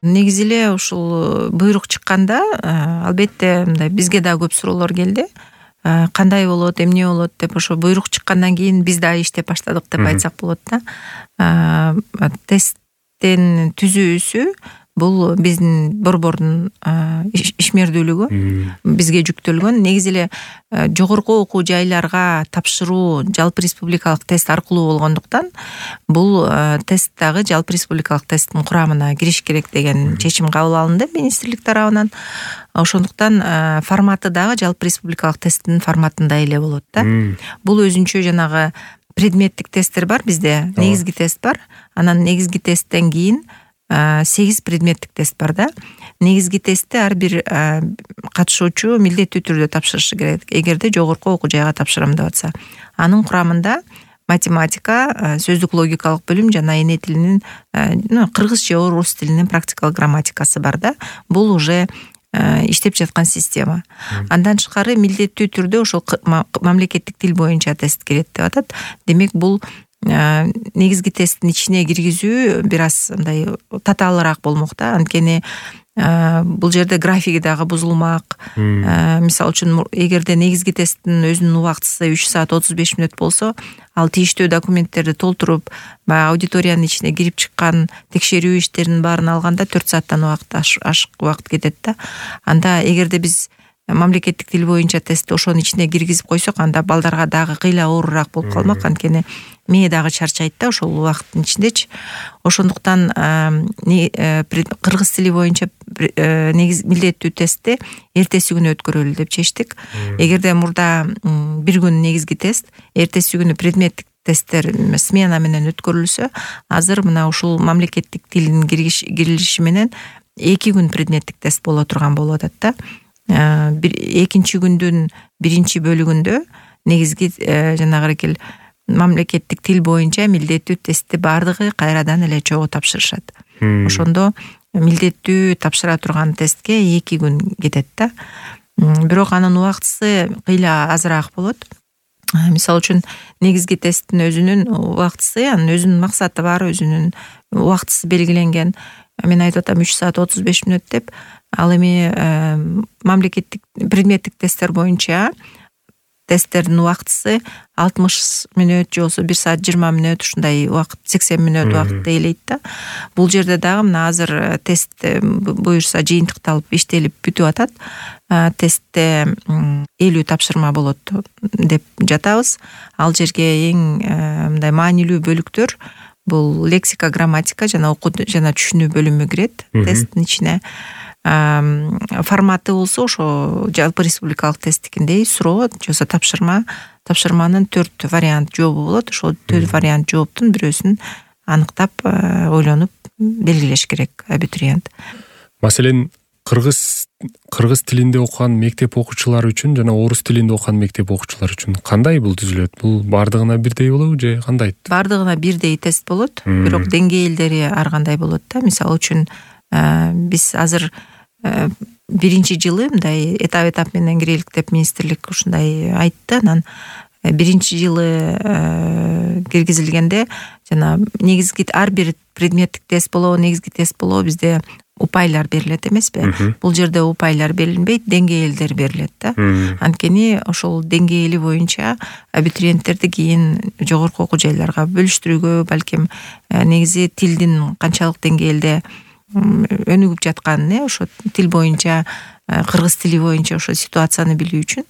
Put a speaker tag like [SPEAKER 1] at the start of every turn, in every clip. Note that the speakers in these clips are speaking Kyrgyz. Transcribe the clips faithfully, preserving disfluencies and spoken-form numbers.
[SPEAKER 1] Негизи эле ушул буйрук чыкканда албетте мындай бизге да көп суроолор келди. Кандай болот, эмне болот деп, ошо буйрук чыккандан кийин биз да иштеп баштадык деп айтсак болот да. Тесттин түзүүсү бул биздин борбордун ишмердүүлүгү, бизге жүктөлгөн. Негизи эле жогорку окуу жайларга тапшыруу жалпы республикалык тест аркылуу болгондуктан бул тест дагы жалпы республикалык тесттин курамына кириш керек деген чечим кабыл алынды министрлик тарабынан. Ошондуктан форматы дагы жалпы республикалык тесттин форматында эле болот да. Бул өзүнчө жанагы предметтик тесттер бар бизде, негизги тест бар. Анан негизги тесттен кийин сегиз предметтик тест бар да. Негизги тестти ар бир катышуучу милдеттүү түрдө тапшырышы керек, эгерде жогорку окуу жайга тапшырам деп атса. Анын курамында математика, сөздүк логикалык бөлүм жана эне тилинин, кыргыз же орус тилинин практикалык грамматикасы бар да. Бул уже иштеп жаткан система. Андан тышкары милдеттүү түрдө ошол мамлекеттик тил боюнча тест келет деп атат. Демек бул негизги тесттин ичине киргизүү бир аз мындай татаалыраак болмок да. Анткени бул жерде графиги дагы бузулмак. Мисалы үчүн эгерде негизги тесттин өзүнүн убактысы үч саат отуз беш мүнөт болсо, ал тийиштүү документтерди толтуруп, баягы аудиториянын ичине кирип чыккан текшерүү иштеринин баарын алганда төрт сааттан убакыт ашык убакыт кетет да. Анда эгерде биз мамлекеттик тил боюнча тестти ошонун ичине киргизип койсок, анда балдарга дагы кыйла оорураак болуп калмак. Анткени мээ дагы чарчайт да ошол убакыттын ичиндечи. Ошондуктан кыргыз тили боюнча негиз милдеттүү тестти эртеси күнү өткөрөлү деп чечтик. Эгерде мурда бир күн негизги тест, эртеси күнү предметтик тесттер смена менен өткөрүлсө, азыр мына ушул мамлекеттик тилдин кирилиши менен эки күн предметтик тест боло турган болуп атат да. Экинчи күндүн биринчи бөлүгүндө негизги жанагы экил мамлекеттик тил боюнча милдеттүү тестти баардыгы кайрадан эле чогуу тапшырышат. Ошондо милдеттүү тапшыра турган тестке эки күн кетет да. Бирок анын убактысы кыйла азыраак болот. Мисалы үчүн негизги тесттин өзүнүн убактысы, анын өзүнүн максаты бар, өзүнүн убактысы белгиленген. Мен айтып атам үч саат отуз беш мүнөт деп. Ал эми мамлекеттик предметтик тесттер боюнча тесттердин убактысы алтымыш мүнөт же болбосо бир саат жыйырма мүнөт, ушундай убакыт, сексен мүнөт убакытты ээлейт да. Бул жерде дагы мына азыр тест буюрса жыйынтыкталып иштелип бүтүп атат. Тестте элүү тапшырма болот деп жатабыз. Ал жерге эң мындай маанилүү бөлүктөр бул лексика, грамматика жана окуу жана түшүнүү бөлүмү кирет тесттин ичине. Форматы болсо ошо жалпы республикалык тесттикиндей суроо же болбосо тапшырма, тапшырманын төрт вариант жообу болот. Ошол төрт вариант жооптун бирөөсүн аныктап, ойлонуп белгилеш керек абитуриент.
[SPEAKER 2] Маселен, кыргыз кыргыз тилинде окуган мектеп окуучулары үчүн жана орус тилинде окуган мектеп окуучулары үчүн кандай бул түзүлөт? Бул бардыгына бирдей болобу же кандай?
[SPEAKER 1] Бардыгына бирдей тест болот, бирок деңгээлдери ар кандай болот да. Мисалы үчүн биз азыр биринчи жылы мындай этап-этап менен кирелик деп министрлик ушундай айтты. Анан биринчи жылы киргизилгенде жана негизги ар бир предметтик тест болобу, негизги тест болобу бизде упайлар берилет эмеспи? Бул жерде упайлар берилбейт, деңгээлдер берилет да. Анткени ошол деңгээли боюнча абитуриенттерди кийин жогорку окуу жайларга бөлүштүрүүгө, балким негизи тилдин канчалык деңгээлде өнүгүп жатканын, ошо тил боюнча, кыргыз тили боюнча ошо ситуацияны билүү үчүн,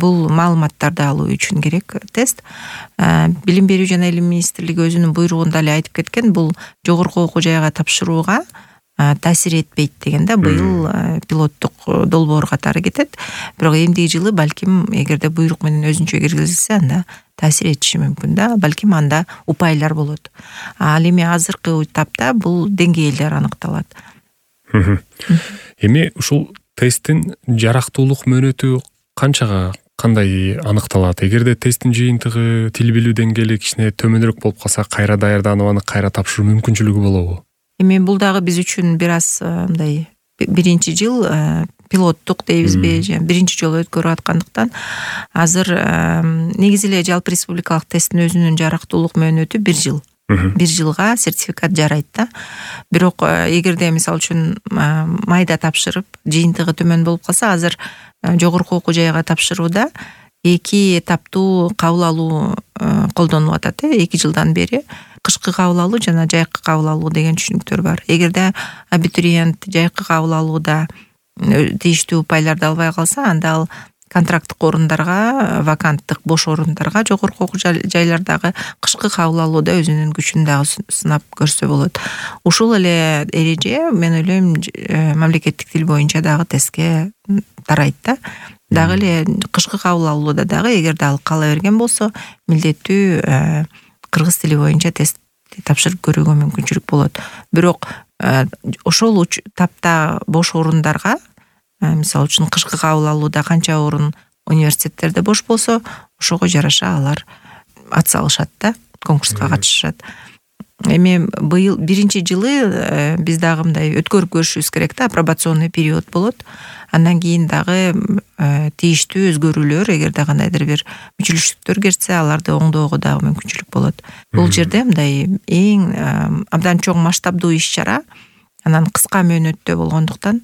[SPEAKER 1] бул маалыматтарды алуу үчүн керек тест. Билим берүү жана илим министрлиги өзүнүн буйругунда эле айтып кеткен, бул жогорку окуу жайга тапшырууга таасир этпейт деген да. Быйыл пилоттук долбоор катары кетет. Бирок эмдиги жылы балким эгерде буйрук менен өзүнчө киргизилсе, анда таасир этиши мүмкүн да. Балким анда упайлар болот. Ал эми азыркы этапта бул деңгээлдер аныкталат.
[SPEAKER 2] Эми ушул тесттин жарактуулук мөөнөтү канчага, кандай аныкталат? Эгерде тесттин жыйынтыгы, тил билүү деңгээли кичине төмөнүрөөк болуп калса, кайра даярданып аны кайра тапшыруу мүмкүнчүлүгү болобу?
[SPEAKER 1] Эми бул дагы биз үчүн бир аз мындай биринчи жыл пилоттук дейбизби, же биринчи жолу өткөрүп аткандыктан азыр негизи эле жалпы республикалык тесттин өзүнүн жарактуулук мөөнөтү бир жыл. бир жылга сертификат жарайт да. Бирок эгерде мисалы үчүн майда тапшырып жыйынтыгы төмөн болуп калса, азыр жогорку окуу жайга тапшырууда эки этаптуу кабыл алуу колдонулуп атат. эки жылдан бери кышкы кабыл алуу жана жайкы кабыл алуу деген түшүнүктөр бар. Эгерде абитуриент жайкы кабыл алууда тийиштүү упайларды албай калса, анда ал контракттык орундарга, ваканттык бош орундарга жогорку окуу жайлардагы кышкы кабыл алууда өзүнүн күчүн дагы сынап көрсө болот. Ушул эле эреже мен ойлойм мамлекеттик тил боюнча дагы тестке тарайт да. Дагы эле кышкы кабыл алууда дагы эгерде ал каала берген болсо, милдеттүү кыргыз тили боюнча тест тапшырып көрүүгө мүмкүнчүлүк болот. Бирок ошол тапта бош орундарга, мисалы үчүн кышкы кабыл алууда канча орун университеттерде бош болсо, ошого жараша алар ат салышат да, конкурска катышышат. Эми быйыл биринчи жылы биз дагы мындай өткөрүп көрүшүбүз керек да, апробационный период болот. Андан кийин дагы тийиштүү өзгөрүүлөр, эгерде кандайдыр бир мүчүлүштүктөр кетсе, аларды оңдоого дагы мүмкүнчүлүк болот. Бул жерде мындай эң абдан чоң масштабдуу иш-чара, анан кыска мөөнөттө болгондуктан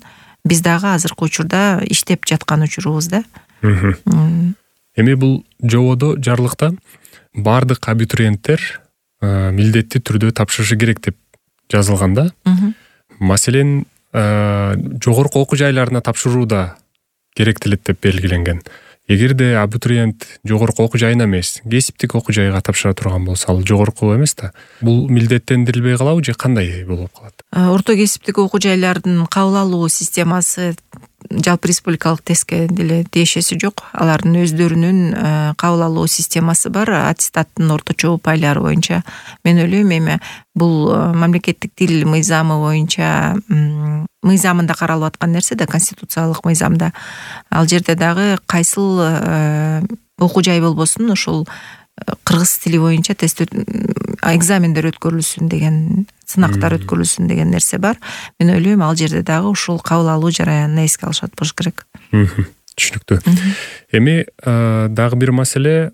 [SPEAKER 1] биз дагы азыркы учурда иштеп жаткан учурубуз да.
[SPEAKER 2] Эми бул жободо, жарлыкта баардык абитуриенттер милдеттүү түрдө тапшырышы керек деп жазылган да. Маселен, жогорку окуу жайларына тапшырууда керектелет деп белгиленген. Эгерде абитуриент жогорку окуу жайына эмес, кесиптик окуу жайга тапшыра турган болсо, ал жогорку эмес да. Бул милдеттендирилбей калабы же кандай болуп калат?
[SPEAKER 1] Орто кесиптик окуу жайлардын кабыл алуу системасы жалпы республикалык тестке деле тиешеси жок. Алардын өздөрүнүн кабыл алуу системасы бар, аттестаттын орточо упайлары боюнча. Мен ойлойм, эми бул мамлекеттик тил мыйзамы боюнча мыйзамында каралып аткан нерсе да, конституциялык мыйзамда. Ал жерде дагы кайсыл окуу жай болбосун, ошол кыргыз тили боюнча тест экзамендер өткөрүлсүн деген, сынактар өткөрүлсүн деген нерсе бар. Мен ойлойм, ал жерде дагы ушул кабыл алуу жараянын эске алышат болуш керек.
[SPEAKER 2] Түшүнүктүү. Эми дагы бир маселе,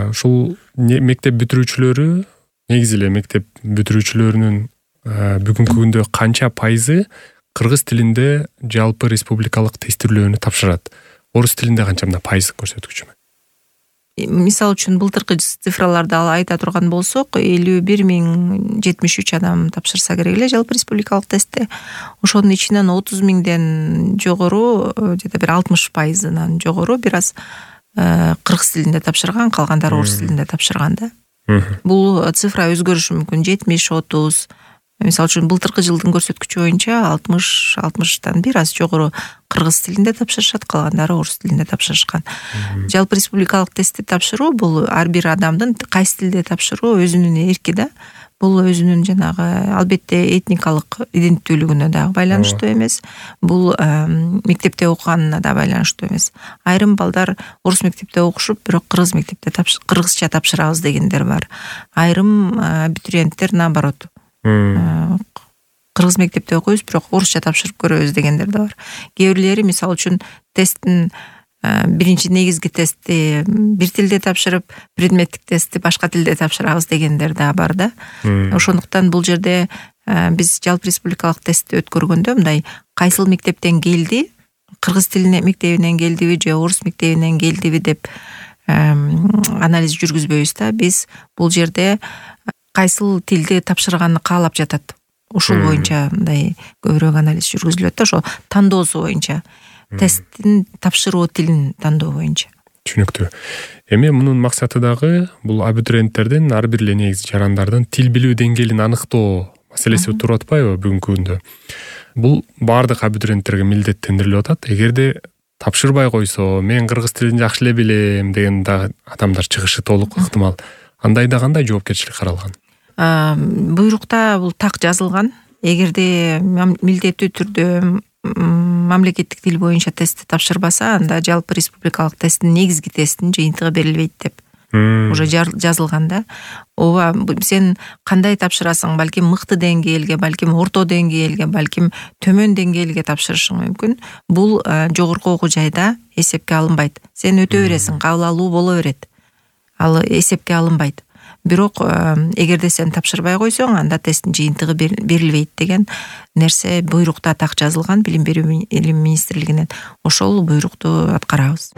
[SPEAKER 2] ушул мектеп бүтүрүүчүлөрү, негизи эле мектеп бүтүрүүчүлөрүнүн бүгүнкү күндө канча пайызы кыргыз тилинде жалпы республикалык тестирлөөнү тапшырат? Орус тилинде канча мында пайыздык көрсөткүчү?
[SPEAKER 1] Мисалы үчүн былтыркы цифраларды айта турган болсок, элүү бир миң жетимиш үч адам тапшырса керек эле жалпы республикалык тестте. Ошонун ичинен отуз миңден жогору, же бир алтымыш пайызынан жогору бир аз кыргыз тилинде тапшырган, калгандары орус тилинде тапшырган да. Бул цифра өзгөрүшү мүмкүн, жетимиш отуз. Мисалы үчүн былтыркы жылдын көрсөткүчү боюнча алтымыш алтымыштан бир аз жогору кыргыз тилинде тапшырышат, калгандары орус тилинде тапшырышкан. Жалпы республикалык тестти тапшыруу бул ар бир адамдын кайсы тилде тапшыруу өзүнүн эрки да. Бул өзүнүн жанагы албетте этникалык иденттүүлүгүнө дагы байланыштуу эмес. Бул мектепте окуганына да байланыштуу эмес. Айрым балдар орус мектепте окушуп, бирок кыргыз мектепте кыргызча тапшырабыз дегендер бар. Айрым абитуриенттер наоборот, кыргыз мектепте окуйбуз, бирок орусча тапшырып көрөбүз дегендер да бар. Кээ бирлери мисалы үчүн тесттин биринчи негизги тестти бир тилде тапшырып, предметтик тестти башка тилде тапшырабыз дегендер да бар да. Ошондуктан бул жерде биз жалпы республикалык тестти өткөргөндө мындай кайсыл мектептен келди, кыргыз тилине мектебинен келдиби же орус мектебинен келдиби деп анализ жүргүзбөйбүз да. Биз бул жерде кайсыл тилди тапшырганды каалап жатат, ушул боюнча мындай көбүрөөк анализ жүргүзүлөт да, ошо тандоосу боюнча, тесттин тапшыруу тилин тандоо боюнча.
[SPEAKER 2] Түшүнүктүү. Эми мунун максаты дагы бул абитуриенттердин, ар бир эле негизи жарандардын тил билүү деңгээлин аныктоо маселеси туруп атпайбы бүгүнкү күндө? Бул баардык абитуриенттерге милдеттендирилип атат. Эгерде тапшырбай койсо, мен кыргыз тилин жакшы эле билем деген дагы адамдар чыгышы толук ыктымал. Андайда кандай жоопкерчилик каралган?
[SPEAKER 1] Буйрукта бул так жазылган. Эгерде милдеттүү түрдө мамлекеттик тил боюнча тестти тапшырбаса, анда жалпы республикалык тесттин негизги тесттин жыйынтыгы берилбейт деп уже жазылган да. Ооба, сен кандай тапшырасың? Балким мыкты деңгээлге, балким орто деңгээлге, балким төмөн деңгээлге тапшырышың мүмкүн. Бул жогорку окуу жайда эсепке алынбайт. Сен өтө бересиң, кабыл алуу боло берет. Ал эсепке алынбайт. бирок эгерде сен тапшырбай койсоң, анда тесттин жыйынтыгы берилбейт деген нерсе буйрукта так жазылган Билим берүү илим министрлигинен. Ошол буйрукту аткарабыз.